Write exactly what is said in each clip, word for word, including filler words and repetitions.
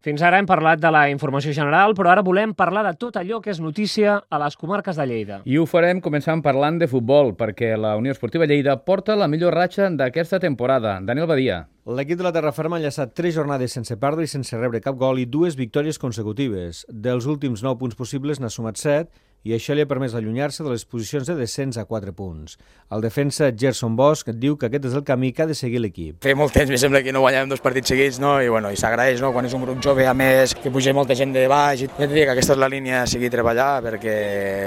Fins ara hem parlat de la informació general, però ara volem parlar de tot allò que és notícia a les comarques de Lleida. I ho farem començant parlant de futbol, perquè la Unió Esportiva Lleida porta la millor ratxa d'aquesta temporada. Daniel Badia. L'equip de la Terraferma ha enllaçat tres jornades sense perdre i sense rebre cap gol i dues victòries consecutives. Dels últims nou punts possibles n'ha sumat set i això li ha permès allunyar-se de les posicions de descens a quatre punts. El defensa Gerson Bosch diu que aquest és el camí que ha de seguir l'equip. Feia molt temps, em sembla que no guanyàvem dos partits seguits, no? I, bueno, i s'agraeix, no? Quan és un grup jove, a més, que puja molta gent de baix. I ja et dic que aquesta és la línia a seguir treballar perquè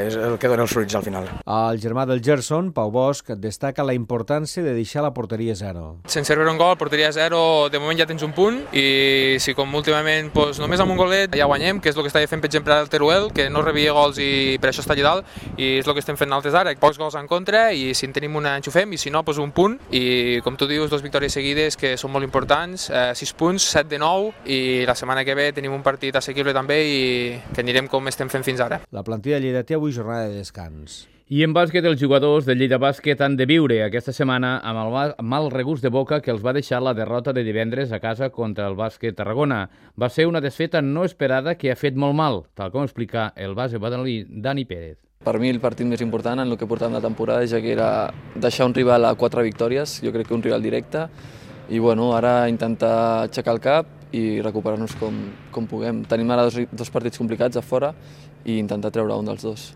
és el que dona els fruits al final. El germà del Gerson, Pau Bosch, destaca la importància de deixar la porteria zero. Sense rebre un gol, porteria zero, de moment ja tens un punt i si com últimament doncs, només amb un golet ja guanyem, que és el que estava fent per exemple el Teruel, que no rebia gols i per això està allà dalt, i és el que estem fent nosaltres ara, pocs gols en contra i si en tenim una enxufem i si no, doncs un punt i com tu dius, dues victòries seguides que són molt importants, eh, sis punts, set de nou i la setmana que ve tenim un partit assequible també i que anirem com estem fent fins ara. La plantilla de Lleida té avui jornada de descans. I en bàsquet, els jugadors de Lleida Bàsquet han de viure aquesta setmana amb el mal regust de boca que els va deixar la derrota de divendres a casa contra el Bàsquet Tarragona. Va ser una desfeta no esperada que ha fet molt mal, tal com explica el base badalí Dani Pérez. Per mi el partit més important en el que portàvem la temporada ja que era deixar un rival a quatre victòries, jo crec que un rival directe, i bueno, ara intentar aixecar el cap i recuperar-nos com, com puguem. Tenim ara dos, dos partits complicats a fora i intentar treure un dels dos.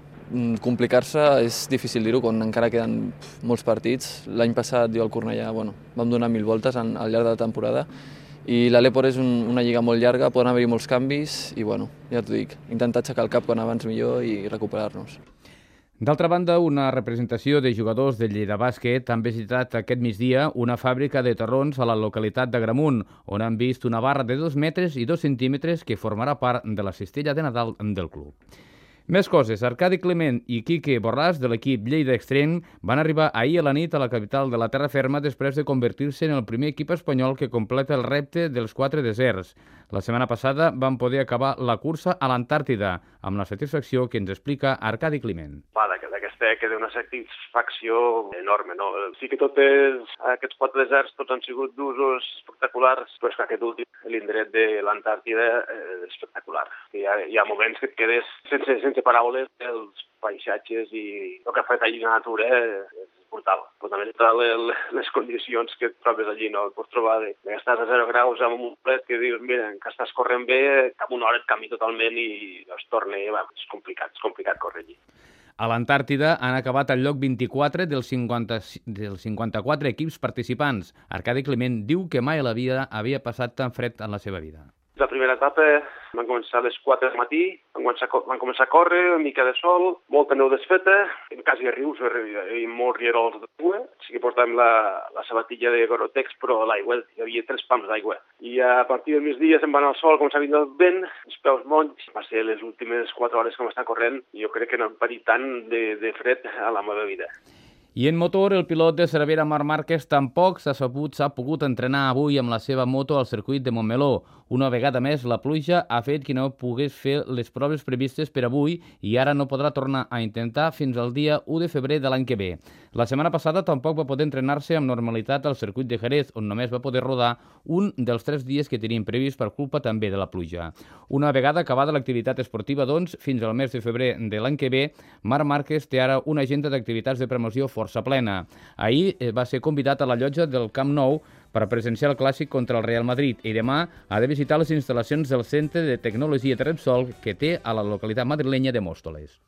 Complicar-se és difícil dir-ho quan encara queden molts partits. L'any passat jo al Cornellà bueno, vam donar mil voltes en, al llarg de la temporada i l'Aleport és un, una lliga molt llarga, poden haver-hi molts canvis i bueno, ja t'ho dic, intentar aixecar el cap quan abans millor i recuperar-nos. D'altra banda, una representació de jugadors de Lleida Bàsquet han visitat aquest migdia una fàbrica de torrons a la localitat d'Agramunt, on han vist una barra de dos metres i dos centímetres que formarà part de la cistella de Nadal del club. Més coses. Arcadi Clement i Quique Borràs, de l'equip Lleida Extrem, van arribar ahir a la nit a la capital de la Terraferma després de convertir-se en el primer equip espanyol que completa el repte dels quatre deserts. La setmana passada van poder acabar la cursa a l'Antàrtida, amb la satisfacció que ens explica Arcadi Climent. Va, d'aquesta queda una satisfacció enorme, no? Sí que tots aquests quatre deserts tots han sigut d'usos espectaculars, però és que aquest últim, l'indret de l'Antàrtida, és espectacular. Hi ha, hi ha moments que et quedes sense, sense paraules, els paisatges i el que ha fet allí la natura és brutal. Però també les condicions que et trobes allí, no? Et pots trobar de, que estàs a zero graus amb un plet que dius, mira, que estàs corrent bé, cap una hora et canvi totalment i es torna, va, és complicat, és complicat córrer allí. A l'Antàrtida han acabat al lloc vint-i-quatre dels, cinquanta, dels cinquanta-quatre equips participants. Arcadi Clement diu que mai a la vida havia passat tan fred en la seva vida. La primera etapa van començar a les quatre del matí, van començar, van començar a córrer, una mica de sol, molta neu desfeta, quasi a rius i molts rierols d'aigua. Sí que portàvem la, la sabatilla de Gorotex, però l'aigua, hi havia tres pams d'aigua. I a partir del migdia se'n va anar al sol, començava a vindre el vent, els peus monys. Va ser les últimes quatre hores que vam estar corrent i jo crec que no hem patit tant de, de fred a la meva vida. I en motor, el pilot de Cervera, Marc Márquez, tampoc s'ha sabut, s'ha pogut entrenar avui amb la seva moto al circuit de Montmeló. Una vegada més, la pluja ha fet que no pogués fer les proves previstes per avui i ara no podrà tornar a intentar fins al dia u de febrer de l'any que ve. La setmana passada tampoc va poder entrenar-se amb normalitat al circuit de Jerez, on només va poder rodar un dels tres dies que tenien previst per culpa també de la pluja. Una vegada acabada l'activitat esportiva, doncs, fins al mes de febrer de l'any que ve, Marc Márquez té ara una agenda d'activitats de promoció força plena. Ahir va ser convidat a la llotja del Camp Nou per presenciar el clàssic contra el Real Madrid i demà ha de visitar les instal·lacions del Centre de Tecnologia de Repsol que té a la localitat madrilenya de Móstoles.